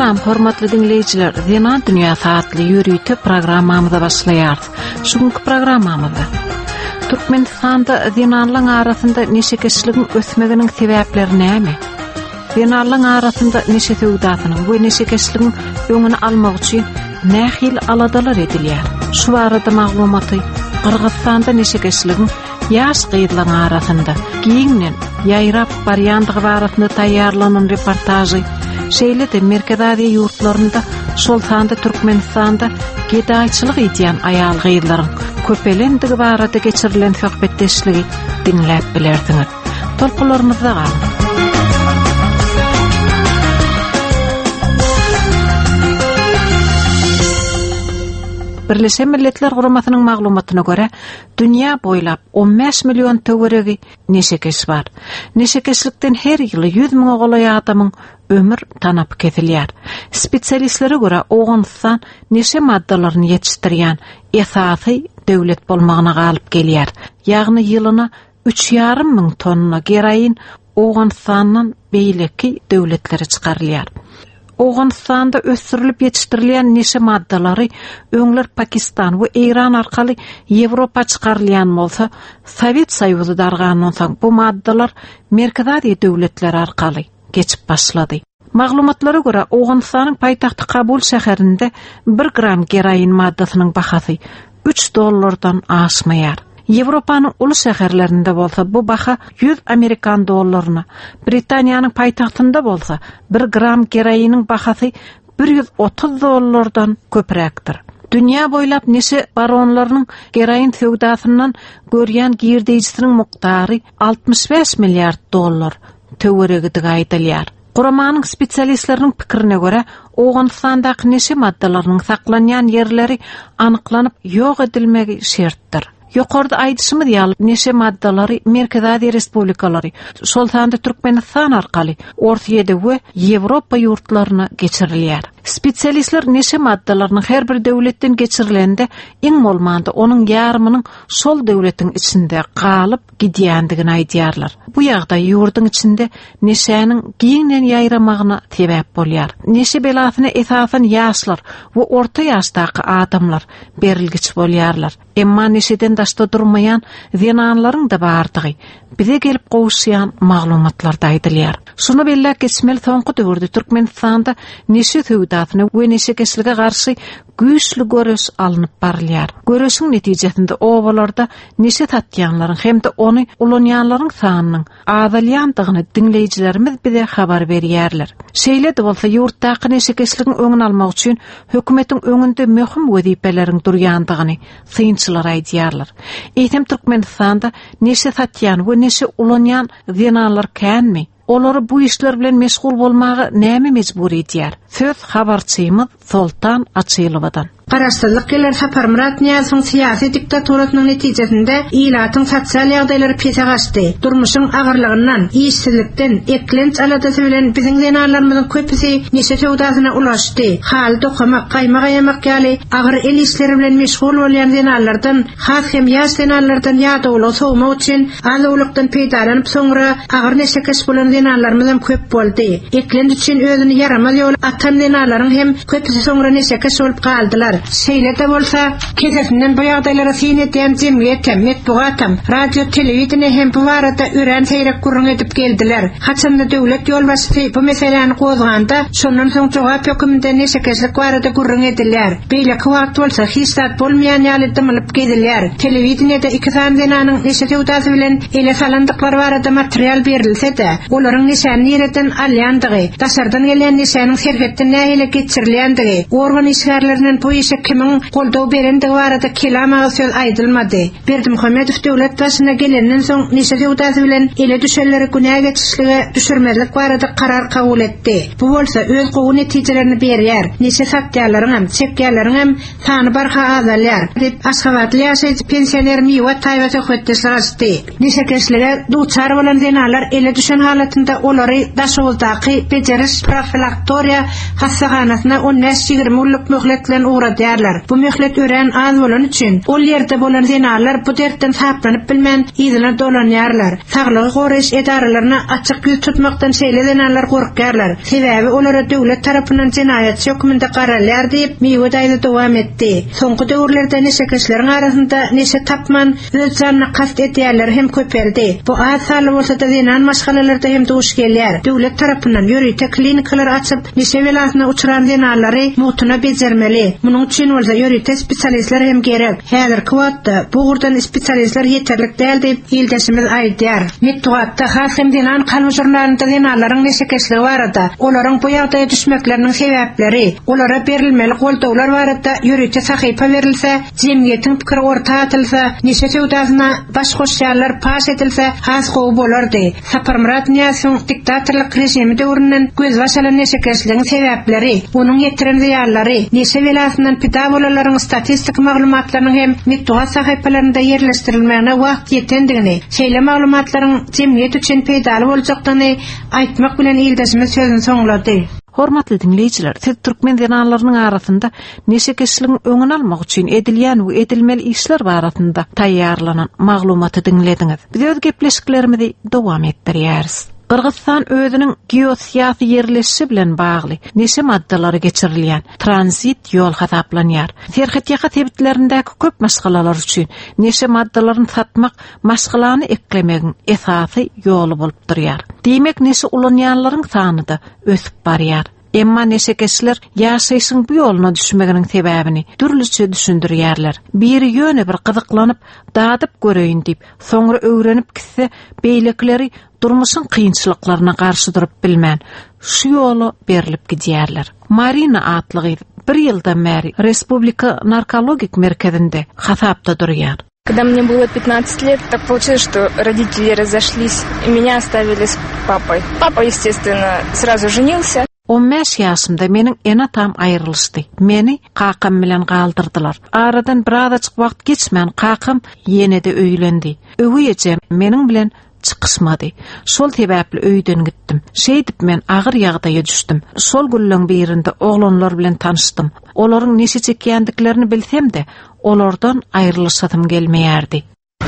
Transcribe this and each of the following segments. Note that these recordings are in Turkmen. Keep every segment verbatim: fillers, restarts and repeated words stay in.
Salam hormatly dinleýjiler, Zenan Dünýäsi atly ýörite programmamyza başlaýarys. Şu günkü programmamyzda Türkmenistanda zenanlaryň arasynda neşekeşligiň ösmeginiň sebäpleri näme? Zenanlaryň arasynda neşe söwdasynyň we neşekeşligiň öňüni almak üçin nähili aladalar edilýär? Şu barada maglumaty Gyrgyzystanda neşekeşligiň ýaş gyzlaryň arasynda giňden ýaýrap barýandygy barasynda taýýarlanan reportažy, şeýle-de Merkezi Aziýa ýurtlarynda, şol sanda Türkmenistanda gedaýçylyk edýän aýal gyzlaryň köpelendigi barada geçirilen söhbetdeşligi diňläp bilersiňiz. Tolkunlarymyzda galyň. Birleşen Milletler Guramasynyň maglumatyna görä, dünýä boýlap on bäş million töweregi neşekeş bar. Neşekeşlikden her ýyly ýüz müňe golaý adamyň ömür tanapy kesilýär. Spesialistlere görä, Owganystan neşe maddalaryny ýetişdirýän esasy döwlet bolmagyna galyp gelýär. Ýagny ýylyna üç ýarym müň tonna geroin Owganystandan beýleki döwletlere çykarylýar. Owganystanda ösdürilip ýetişdirilýän neşe maddalary öňler Pakistan we Eýran arkaly Ýewropa çykarylýan bolsa, Sowet Soýuzy dargandan soň bu maddalar Merkezi Aziýa döwletleri arkaly geçip başlady. Maglumatlara görä, Owganystanyň paýtagty Kabul şäherinde bir gram geroin maddasynyň bahasy üç dollardan aşmaýar. Ýewropanyň uly şäherlerinde bolsa bu baha ýüz Amerikan dollaryna, Britaniýanyň paýtagtynda bolsa bir gram geroiniň bahasy bir ýüz otuz dollardan köpräkdir. Dünýä boýlap neşe baronlarynyň geroin söwdasyndan görýän girdeýjisiniň mukdary altmyş bäş milliard dollar töweregidigi aýdylýar. Guramanyň spesialistleriniň pikirine görä, Owganystandaky neşe maddalarynyň saklanýan ýerleri anyklanyp ýok edilmegi şertdir. Ýokarda aýdyşymyz ýaly neşe maddalary Merkezi Aziýa Respublikalary, şol sanda Türkmenistan arkaly Ortaýer'de we Ýewropa ýurtlaryna geçirilýär. Spesialistler neşe maddalarynyň her bir döwletden geçirilende iň bolmanda onuň ýarymynyň şol döwletiň içinde galyp gidýändigini aýdýarlar. Bu ýagdaý ýurduň içinde neşäniň giňden ýaýramagyna sebäp bolýar. Neşe belasyna esasan ýaşlar we orta ýaşdaky adamlar berilgiç bolýarlar. Emma neşeden daşda durmaýan zenanlaryň da bardygy bize gelip gowuşýan maglumatlarda aýdylýar. Şunu belläp geçmeli, soňky döwürde Türkmenistanda neşe söwdasyna we neşekeşlige garşy güýçli göreş alnyp barylýar. Göreşiň netijesinde obalarda neşe satýanlaryň hem-de ony ulanýanlaryň sanynyň azalýandygyny diňleýjilerimiz bize habar berýärler. Şeýle-de bolsa ýurtdaky neşekeşligiň öňüni almak üçin hökümetiň öňünde möhüm wezipeleriň durýandygyny synçylar aýdýarlar. Eýsem Türkmenistanda neşe satýan we neşe ulanýan zenanlar känmi? Olary bu işler bilen meşgul bolmaga näme mejbur edýär? Söz habarçymyz Soltan Açylowadan. Garaşsyzlyk ýyllar Saparmyrat Nyýazowyň syýasy diktaturasynyň netijesinde ilatyň sosial ýagdaýlary pese gaçdy. Durmuşyň agyrlygyndan, işsizlikden, eklenç aladasy bilen biziň zenanlarymyzyň köpüsi neşe söwdasyna ulaşdy. Haly dokamak, gaýma gaýamak ýaly agyr el işleri bilen meşgul bolýan zenanlardan, has hem ýaş zenanlardan ýadawlygy sowmak üçin az-owlakdan peýdalanyp soňra agyr neşekeş bolan zenanlarymyz hem köp boldy. Eklenç üçin özüni ýaramaz ýola atan zenanlaryň hem köpüsi soňra neşekeş bolup galdylar. Şeýle-de bolsa, kesesinden bu ýagdaýlara syn edýän jemgyýet hem, metbugat hem, radio, telewideniýe hem bu barada örän seýrek gürrüň edip geldiler. Haçanda döwlet ýolbaşçysy bu meseläni gozganda, şondan soň jogap höküminde neşekeşlik barada gürrüň edilýär. Beýleki wagt bolsa hiç zat bolmaýan ýaly dymylyp gezilýär. Telewideniýede iki sany zenanyň neşe söwdasy bilen ele salandyklary barada material berilse-de, olaryň neşäni nireden alýandygy, daşardan gelýän neşäniň serhetden nähili geçirilýändigi, organ işgärlerinden bu işe kimiň goldaw berendigi barada kelam agyz söz aýdylmady. Berdimuhamedow döwlet başyna gelenden soň neşe söwdasy bilen ele düşenleri günä geçişlige düşürmezlik barada karar kabul etdi. Bu bolsa öz gowy netijelerini berýär. Neşe satýanlaryň hem, çekýänleriň hem sany barha azalýar. Diýip Aşgabatly ýaşaýjy pensioner Miwa Taýba söhbetdeşlik açdy. Neşekeşlige duçar bolan zenanlar ele düşen halatynda olary Daşoguzdaky bejeriş profilaktoriýa hassahanasyna on bäş ýigrimi günlük möhlet bilen ugradylar. ugradýarlar. Bu möhlet örän az bolany üçin ol ýerde bolan zenanlar bu dertden saplanyp bilmän yzyna dolanýarlar. Saglygy goraýyş edaralaryna açyk ýüz tutmakdan şeýle zenanlar gorkýarlar. Sebäbi olara döwlet tarapyndan jenaýatçy hökmünde garalýar diýip, Miwe daýza dowam etdi. Soňky döwürlerde neşekeşleriň arasynda neşe tapman öz janyna kast edýänler hem köpeldi. Bu az sanly bolsa-da zenan maşgalalarda hem duş gelýär. Döwlet tarapyndan ýörite klinikalar açyp, neşe belasyna uçran zenanlary mugtuna bejermeli. Munuň üçin bolsa ýörite spesialistler hem gerek. Häzirki wagtda bu ugurdan spesialistler ýeterlik däl diýip ildeşimiz aýdýar. Metbugatda has hem zenan kalby žurnalynda zenanlaryň neşekeşligi barada, olaryň bu ýagdaýa düşmekleriniň sebäpleri, olara berilmeli goldawlar barada ýörite sahypa berilse, jemgyýetiň pikiri orta atylsa, neşe söwdasyna baş goşýanlar paş edilse has gowy bolardy. Saparmyrat Nyýazowyň diktatorlyk režimi döwründen gözbaş alan neşekeşligiň sebäpleri, onuň ýetiren zyýanlary, neşe belasyndan pida bolanlaryň statistik maglumatlarynyň hem metbugat sahypalarynda ýerleşdirilmegine wagt ýetendigini, şeýle maglumatlaryň jemgyýet üçin peýdaly boljakdygyny aýtmak bilen ildeşimiz sözüni soňlady. Hormatly dinleýjiler, siz türkmen zenanlarynyň arasynda neşekeşligiň öňüni almak üçin edilýän we edilmeli işler barasynda taýýarlanan maglumaty diňlediňiz. Biz öz gepleşiklerimizi dowam etdirýäris. Gyrgyzystan özüniň geosyýasy ýerleşişi bilen bagly neşe maddalary geçirilýän tranzit ýol hasaplanýar. Serhetýaka sebitlerindäki köp maşgalalar üçin neşe maddalaryny satmak maşgalany eklemegiň esasy ýoly bolup durýar. Diýmek neşe ulanýanlaryň sany da ösüp barýar. Emma neşekeşler ýaşaýşyň bu ýoluna düşmeginiň sebäbini dürlüçe düşündirýärler. Biri ýöne bir gyzyklanyp, dadyp göreýin diýip, soňra öwrenip gitse, beýlekileri durmuşyň kynçylyklaryna garşy durup bilmän, şu ýola berilip gidýärler. Marina atly gyz bir ýyldan bäri Respublika narkologik merkezinde hasapda durýar. Когда мне было пятнадцать лет, так получилось, что родители разошлись и меня оставили с папой. Папа, естественно, сразу женился. On bäş ýaşymda meniň ene-atam aýrylyşdy. Meni kakam bilen galdyrdylar. Aradan birazajyk wagt geçmän kakam ýene-de öýlendi. Öweý ejem meniň bilen çykyşmady. Şol sebäpli öýden gitdim. Şeýdip men agyr ýagdaýa düşdüm. Şol günleň birinde oglanlar bilen tanyşdym. Olaryň neşe çekýändiklerini bilsem-de, olardan aýrylyşasym gelmeýärdi.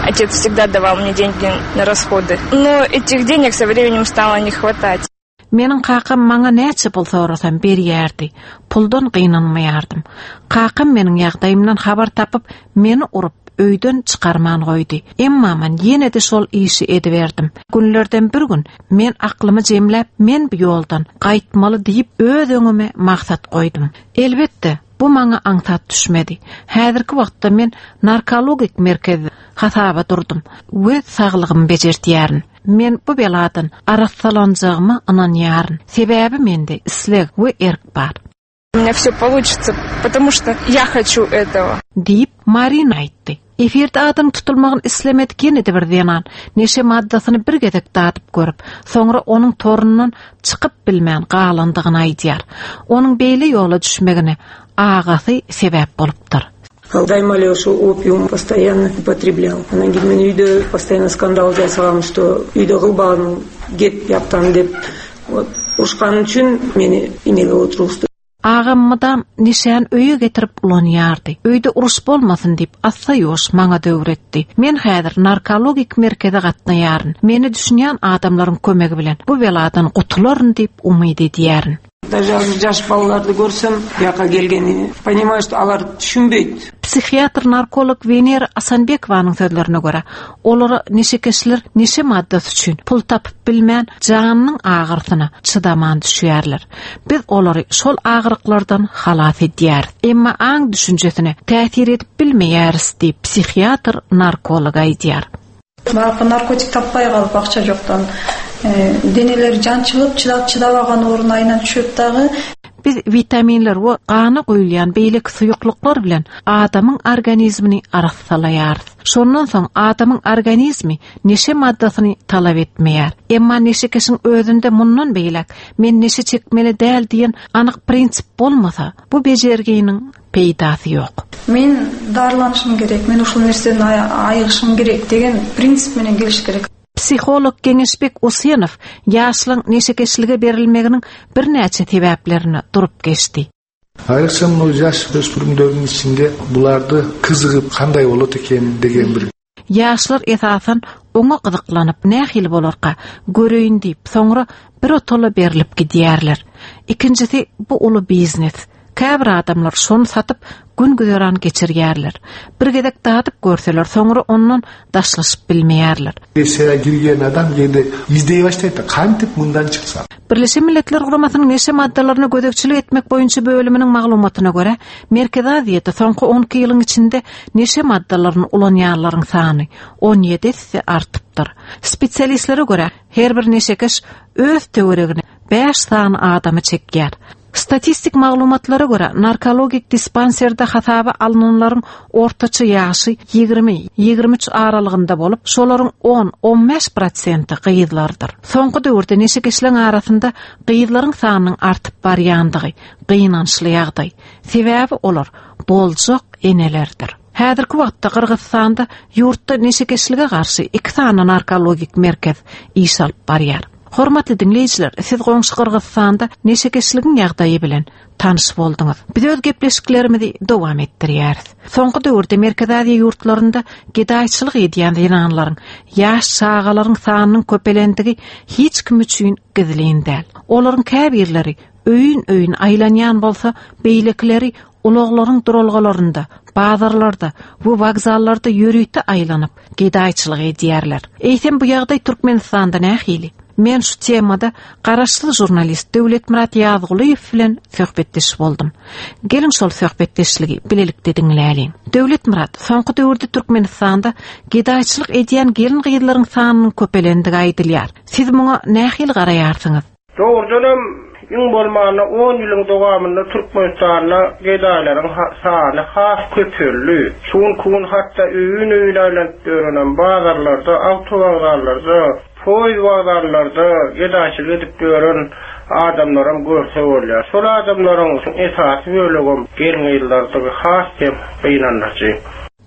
Отец всегда давал мне деньги на расходы, но этих денег со временем стало не хватать. Meniň kakam maňa näçe pul sorasam berýärdi. Puldan gynanmaýardym. Kakam meniň ýagdaýymdan habar tapyp, meni urup öýden çykarman goýdy. Emma men ýene-de şol işi ediberdim. Günlerden bir gün men aklymy jemläp, men bu ýoldan gaýtmaly diýip öz öňüme maksat goýdum. Elbetde, bu maňa aňsat düşmedi. Häzirki wagtda men narkologik merkezde hasaba durdum we saglygymy bejertýärin. Men bu beladan arassalanjagyma ynanýaryn. Sebäbi mende isleg we erk bar. У меня все получится, потому что я хочу этого. Diýip Marina aýtdy. Efirde adyň tutulmagyny islemedik ýene-de bir zenan neşe maddasyny bir gezek dadyp görüp, soňra onuň torundan çykyp bilmän galandygyny aýdýar. Onuň beýle ýola düşmegine agasy sebäp bolupdyr. Дайыма эле ошо опиум постоянно употреблял. Анан кийин мен үйдө постоянно скандал жасагам, что үйдө кылбагын, кет бияктан деп. Вот урушкан үчүн мени эмеге отургузду. Agam mydam neşäni öýe getirip ulanýardy. Öýde uruş bolmasyn diýip assa ýoş maňa döwretdi. Men häzir narkologik merkeze gatnaýaryn. Meni düşünýän adamlaryň kömegi bilen bu beladan gutularyn diýip umyt edýärin. Даже азыр жаш балаларды көрсөм, бияка келгени, понимаю, что алар түшүнбөйт. Psihiatr narkolog Venera Asanbekovanyň sözlerine görä, olara neşekeşler neşe maddasy üçin pul tapyp bilmän janynyň agyrsyna çydaman düşýärler. Biz olary şol agyryklardan halas edýäris. Emma aň düşünjesine täsir edip bilmeýäris diýip psihiatr narkolog aýdýar. Баягы наркотик таппай калып, акча жоктон денелери жанчылып, чыдап чыдабаган орун айынан түшөт дагы. Biz vitaminler we gana guýulýan beýleki suýuklyklar bilen adamyň organizmini arassalaýarys. Şondan soň adamyň organizmi neşe maddasyny talap etmeýär. Emma neşekeşiň özünde mundan beýlek men neşe çekmeli däl diýen anyk prinsip bolmasa, bu bejerginiň peýdasy ýok. Мен дарыланышым керек, мен ушул нерседен айыгышым керек деген принцип менен келиш керек. Psiholog Geňeşbek Usenow ýaşlyň neşekeşlige berilmeginiň birnäçe sebäplerini durup geçdi. Ayrıkça мына жаш өспүрүмдөрдүн ичинде буларды кызыгып кандай болот экен деген бир Ýaşlar esasan oňa gyzyklanyp nähili bolarka göreýin diýip, soňra bir otola berilip gidýärler. Ikinjisi bu uly biznes. Käbir adamlar şony satyp gün güzeran geçirýärler. Bir gezek dadyp görseler, soňra ondan daşlaşyp bilmeýärler. Neşeye girген адам кээде издей баштайт да кантип мындан чыксам. Birleşen Milletler Guramasynyň neşe maddalaryna gözegçilik etmek boýunça bölüminiň maglumatyna görä, Merkezi Aziýada soňky on iki ýylyň içinde neşe maddalaryny ulanýanlaryň sany on ýedi esse artypdyr. Spesialistlere görä, her bir neşekeş öz töweregine bäş sany adamy çekýär. Statistik maglumatlara görä, narkologik dispanserde hasaba alynanlaryň ortaça ýaşy ýigrimi, ýigrimi üç aralygynda bolup, şolaryň on, on bäş prosenti gyzlardyr. Soňky döwürde neşekeşleň arasynda gyzlaryň sanynyň artyp barýandygy gynançly ýagdaý. Sebäbi olar boljak enelerdir. Häzirki wagtda Gyrgyzystanda ýurtda neşekeşlige garşy iki sany narkologik merkez iş alyp barýar. Hormatly dinleýjiler, siz goňşy Gyrgyzystanda neşekeşligiň ýagdaýy bilen tanyş bolduňyz. Biz öz gepleşiklerimizi dowam etdirýäris. Soňky döwürde Merkezi Aziýa ýurtlarynda gedaýçylyk edýän zenanlaryň, ýaş çagalaryň sanynyň köpelendigi hiç kim üçin gizlin däl. Olaryň käbirleri öýün-öýün aýlanýan bolsa, beýlekileri ulaglaryň duralgalarynda, bazarlarda we wokzallarda ýörite aýlanyp gedaýçylyk edýärler. Eýsem bu ýagdaý Türkmenistanda nähili? Men şu temada garaşsyz jurnalist Döwletmyrat Ýazgulyýew bilen söhbetdeş boldum. Geliň şol söhbetdeşligi bilelikde diňläliň. Döwletmyrat, soňky döwürde Türkmenistanda gedaýçylyk edýän gelin-gyzlaryň sanynyň köpelendigi aýdylýar. Siz muňa nähili garaýarsyňyz? Dogrudanam iň bolmanda on ýylyň dowamynda Türkmenistanda gedaýlaryň sany has köpeldi. Şuň kun hatda öýün-öýün aýlanyp ýören bazarlarda, awtowokzallarda, poýuz wokzallarda gedaýçylyk edip ýören adamlaram görse bolýar. Şol adamlaryň esasy bölegem gelin-gyzlardygy has hem gynandyryjy.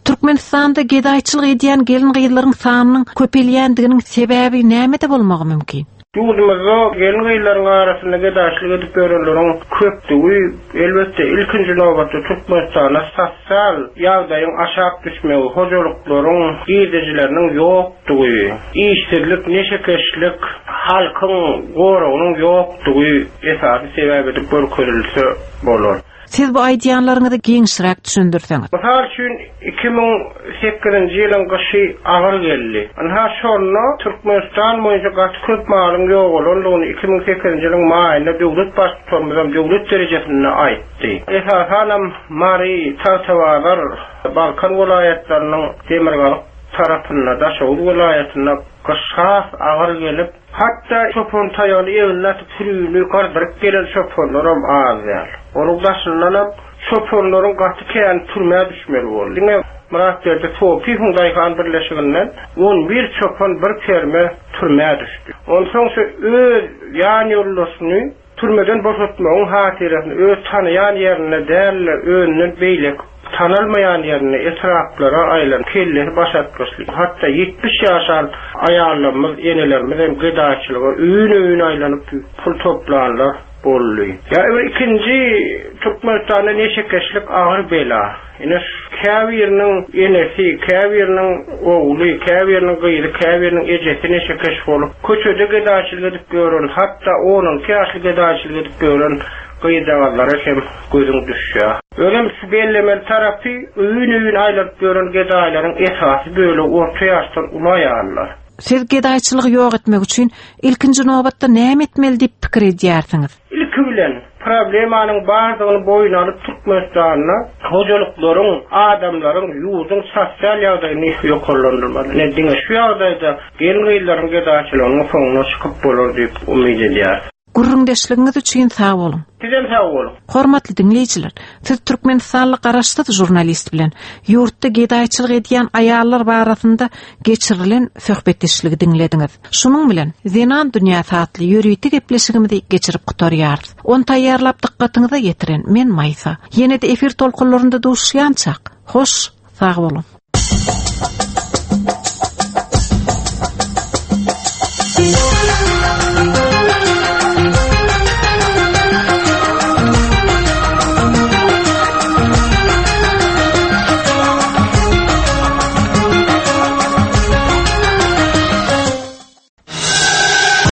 Türkmenistanda gedaýçylyk edýän gelin-gyzlaryň sanynyň köpelýändiginiň sebäbi nämede bolmagy mümkin? Ýurdumyzda gelin-gyzlaryň arasynda gedaýçylyk edip ýörenleriň köpdügi elbetde ilkinji nobatda Türkmenistanda sosial ýagdaýyň aşak düşmegi, hojalyklaryň girdejileriniň ýokdugy, işsizlik, neşekeşlik, halkyň goragynyň ýokdugy esasy sebäp edip görkezilse bolar. Siz bu aýdýanlaryňyzy giňişräk düşündirseňiz. Mysal üçin iki müň sekizinji ýylyň gyşy agyr geldi. Anha şonda Türkmenistan boýunça gaty köp malyň ýogalandygyny iki müň sekizinji ýylyň maýynda döwlet baştutanymyzam döwlet derejesinde aýtdy. Esasanam Mary, Tagtabazar, Balkan welaýatlarynyň demirgazyk tarapynda, Daşoguz welaýatynda gyş has agyr gelip, hatda çopan taýagyny eline atyp sürüni gardyryp gelen çopanlaram az däl. Onuň daşyndanam çopanlaryň gaty kän türmä düşmeli boldy. Diňe Myratberdi Sopiýewiň Daýhan birleşiginden on bir çopan bir perme türmä düşdi. Onsoň şu öz ýan ýoldaşyny türmeden boşatmagyň hatyrasyny öz tanaýan ýerinde däl, özünden beýlek tanalmaýan ýerine etraplara aýlan kellesi başatgyçly. Hatda ýetmiş ýaşan aýallarymyz, enelerimiz hem gedaýçylyga öýün-öýün aýlanyp pul toplanlar boldy. Ýa bir ikinji Türkmenistanda neşekeşlik agyr bela. Ine käbiriniň enesi, käbiriniň ogly, käbiriniň gyzy, käbiriniň ejesi neşekeş bolup, köçede gedaýçylyk edip ýören, hatda on iki ýaşly gedaýçylyk edip ýören gyzjagazlara hem gözüň düşýär. Özem şu bellemeli tarapy öýün-öýün aýlanyp ýören gedaýlaryň esasy bölegi orta ýaşdan uly aýallar. Siz gedaýçylygy ýok etmek üçin ilkinji nobatda näme etmeli diýip pikir edýärsiňiz? Ilki bilen problemanyň bardygyny boýun alyp Türkmenistanda hojalyklaryň, adamlaryň ýurduň sosial ýagdaýyny ýokarlandyrmaly. Ne diňe şu ýagdaýda gelin-gyzlaryň gedaýçylygynyň soňuna çykyp bolar diýip umyt edýär. Gürrüňdeşligiňiz üçin sag boluň. Sizem sag boluň. Hormatly dinleýjiler, siz Türkmenistanly garaşsyz jurnalist bilen ýurtda gedaýçylyk edýän aýallar barasynda geçirilen söhbetdeşligi diňlediňiz. Şunuň bilen Zenan dünýäsi atly ýörite gepleşigimizi geçirip gutarýarys. Ony taýýarlap dykgatyňyza ýetiren men Maýsa. Ýene-de efir tolkunlarynda duşuşýançak. Hoş, sag boluň.